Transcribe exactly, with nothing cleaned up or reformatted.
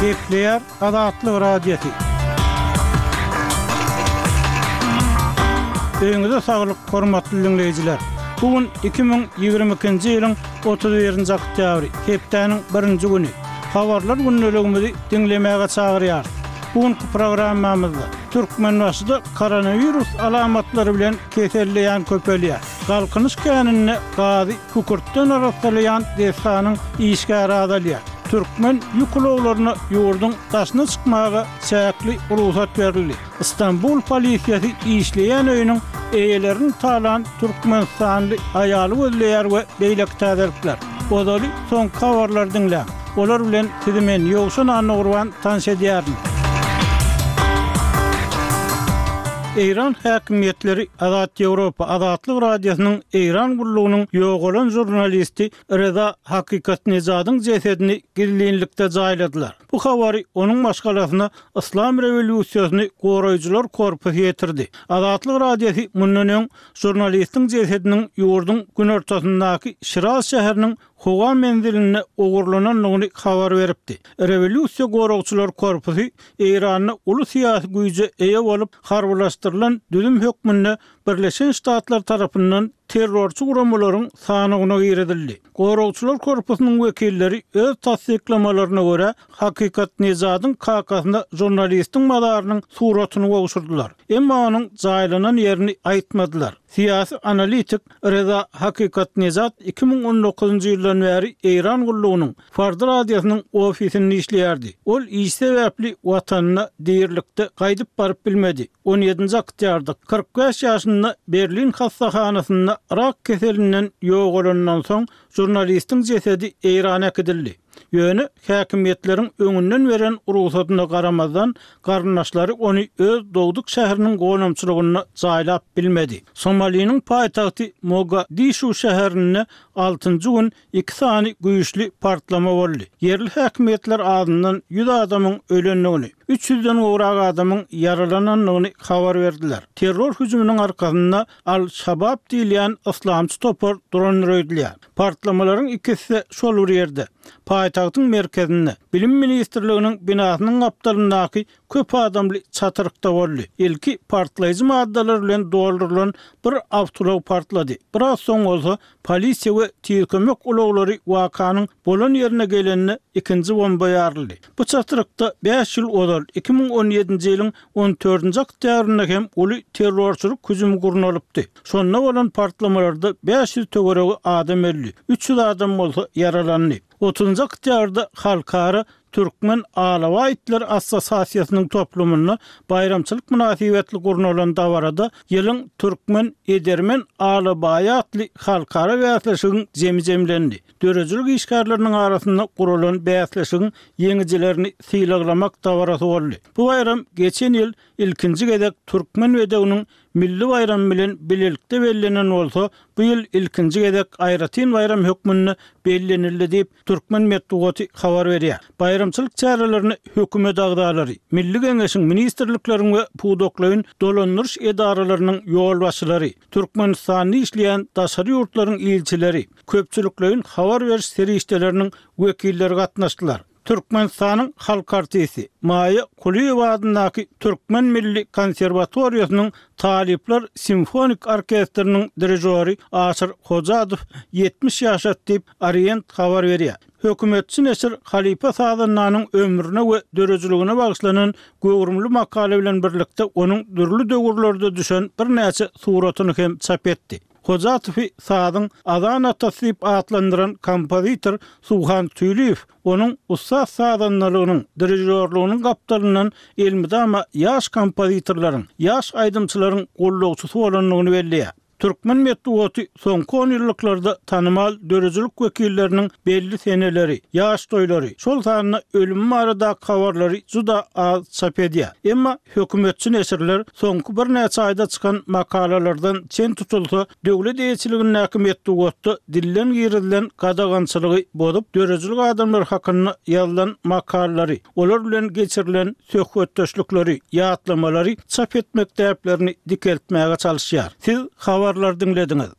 Gepleýär Azatlyk Radiosy. Öýüňize saglyk, hormatly diňleýjiler. Bu gün iki müň ýigrimi ikinji ýylyň otuz birinji oktýabry, hepdäniň birinji güni. Habarlar gündeligimizi diňlemäge çagyrýarys. Bu günki programmamyzda Türkmenbaşyda koronawirus alamatlary bilen keselleýän köpelýär. Galkynyş käninde gazy kükürtden arassalaýan desganyň işgäri azalýar. Türkmen ýük ulaglaryna ýurduň daşyna çykmaga çäkli rugsat berildi. Stambul polisiýasy işleýän öýüniň eýelerini talan türkmenistanly aýaly gözleýär we beýleki täzelikler. Ozaly soňky habarlary diňläň. Olar bilen sizi men Ýowşan Annagurban tanyş edýärin. Eýran häkimiýetleri Azat Ýewropa Azatlyk Radiosynyň Eýran gullugynyň ýogalan žurnalisti Reza Hakykatnejadyň jesedini gizlinlikde jaýladylar. Bu habary onuň maşgalasyna Yslam rewolýusiýasyny goraýjylar korpusy ýetirdi. Azatlyk Radiosy mundan öň žurnalistiň jesediniň ýurduň günortasyndaky Şiraz şäheriniň howa menzilinde ogurlanandygyny habar beripdi. Rewolýusiýa goragçylar korpusy Eýranda uly syýasy güýje eýe bolup, harbylaşdyrylan düzüm hökmünde Birleşen Ştatlar tarapyndan terrorçy guramalaryň sanawyna girizildi. Goragçylar korpusynyň wekilleri öz tassyklamalaryna görä, Hakykatnejadyň kakasyna žurnalistiň mazarynyň suratyny gowşurdylar. Emma onuň jaýlanan ýerini aýtmadylar. Syýasy analitik Reza Hakykatnejad iki müň on dokuzynjy ýyldan bäri Eýran gullugynyň Farda radiosynyň ofisinde işleýärdi. Ol iş sebäpli watanyna dirilikde gaýdyp baryp bilmedi. On ýedinji oktýabrda kyrk bäş ýaşynda Berlin hassahanasynda rak keselinden ýogalandan soň žurnalistiň jesedi Eýrana äkidildi. Ýöne häkimiýetleriň öňünden beren rugsadyna garamazdan, garyndaşlary ony öz dogduk şäheriniň gonamçylygynda jaýlap bilmedi. Somaliniň paýtagty Mogadişu şäherinde altynjy gün iki sany güýçli partlama boldy. Ýerli häkimiýetler azyndan ýüz adamyň ölendigini, üç ýüzden gowrak adamyň ýaralanandygyny habar berdiler. Terror hüjüminiň arkasynda Al-Şabab diýilýän yslamçy topar durandyr öýdülýär. Partlamalaryň ikisi-de şol bir ýerde, paýtagtyň merkezinde, Bilim ministrliginiň binasynyň gapdalyndaky köp adamly çatyrykda boldy. Ilki partlaýjy maddalar bilen doldurylan bir awtoulag partlady. Biraz soň bolsa polisiýa we tiz kömek ulaglary wakanyň bolan ýerine gelende ikinji bomba ýaryldy. Bu çatrykda bäş ýyl ozal, iki müň on ýedinji ýylyň on dördünji oktýabrynda hem uly terrorçylyk hüjümi gurnalypdy. Şonda bolan partlamalarda bäş ýüz töweregi adam öldi, üç ýüz adam bolsa ýaralandy. Otuzynjy oktýabrda Halkara Türkmen alabaý itleri assosiasiýasynyň toplumynda baýramçylyk mynasybetli gurnalan dabarada Ýylyň türkmen edermen alabaýy atly halkara bäsleşigiň jemi jemlendi. Döredijilik işgärleriniň arasynda guralan bäsleşigiň ýeňijilerini sylaglamak dabarasy boldy. Bu baýram geçen ýyl ilkinji gezek Türkmen bedewiniň milli baýramy bilen bilelikde bellenen bolsa, bu ýyl ilkinji gezek aýratyn baýram hökmünde bellenildi diýip, türkmen metbugaty habar berýär. Baýramçylyk çärelerine hökümet agzalary, Milli Geňeşiň, ministrlikleriň we pudaklaýyn dolandyryş edaralarynyň ýolbaşçylary, Türkmenistanda işleýän daşary ýurtlaryň ilçileri, köpçülikleýin habar beriş serişdeleriniň wekilleri gatnaşdylar. Türkmenistanyň halk artisti, Maýa Kulyýewa adyndaky Türkmen milli konserwatoriýasynyň talyplar simfonik orkestriniň dirižory Aşyr Hojadow ýetmiş ýaşady diýip, Orient habar berýär. Hökümetçi neşir halypa sazandanyň ömrüne we döredijiligine bagyşlanan göwrümli makala bilen birlikde onuň dürli döwürlerde düşen birnäçe suratyny hem çap etdi. Hojatowy sazyň azan atasy diýip atlandyran kompozitor Suhan Tüýliýew onuň ussat sazandalygynyň, dirižýorlygynyň gapdalyndan elmydama ýaş kompozitorlaryň, ýaş aýdymçylaryň gullukçysy bolandygyny belleýär. Türkmen metbugaty soňky onýyllyklarda tanymal döredijilik wekilleriniň belli seneleri, ýaş toýlary, şol sanda ölümi baradaky habarlary juda az çap edýär. Emma hökümetçi neşirler soňky birnäçe aýda çykan makalalardan çen tutulsa, döwlet eýeçiligindäki metbugatda dilden girizilen gadagançylygy bozup, döredijilik adamlary hakynda ýazylan makalalary, olar bilen geçirilen söhbetdeşlikleri, ýatlamalary çap etmek däplerini dikeltmäge çalyşýar. Siz habarlary diňlediňiz.